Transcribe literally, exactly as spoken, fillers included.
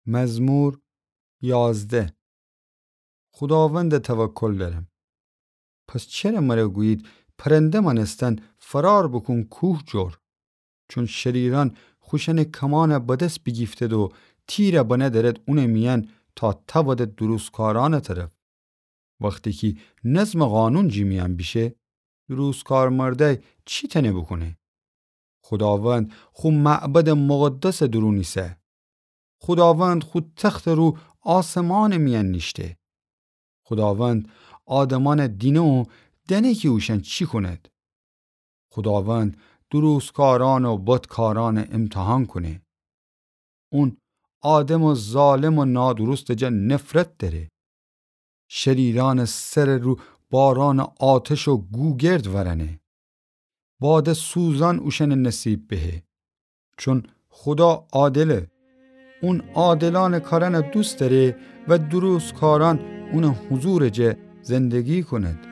مزمور یازده. خوداوند توکل دأرم. پس چره مره گویید، پرنده مأنستن فرار بوکون کوه جور؟ چون شریرأن خوشأنٚ کمأن بدس بیگیفتید و تیر بنه دأرید اونٚ میأن تا تأودید دروستکارأنٚ طرف. وختی کی نظمٚ قانون جٚه میأن بیشه، دروستکار مردأی چی تأنه بوکونه؟ خوداوند خو معبدٚ مقدسٚ دورون ایسه. خوداوند خو تختٚ رو آسمانٚ میأن نیشته. خوداوند آدمأن دینه و دأنه کی اوشأن چی کونید. خوداوند دروستکارأن و بدکارأن امتحان کونه. اون آدمٚ ظالم و نادروستٚ جا نفرت دأره. شریرأنٚ سرٚ رو بارأنٚ آتش و گوگرد ورأنه. بادٚ سوزأن اوشأنٚ نصیب بهه. چون خودا عادله. اون عادلأنٚ کارأن دوست دأره و دروستکارأن اونٚ حضورٚ جا زندگی کونید.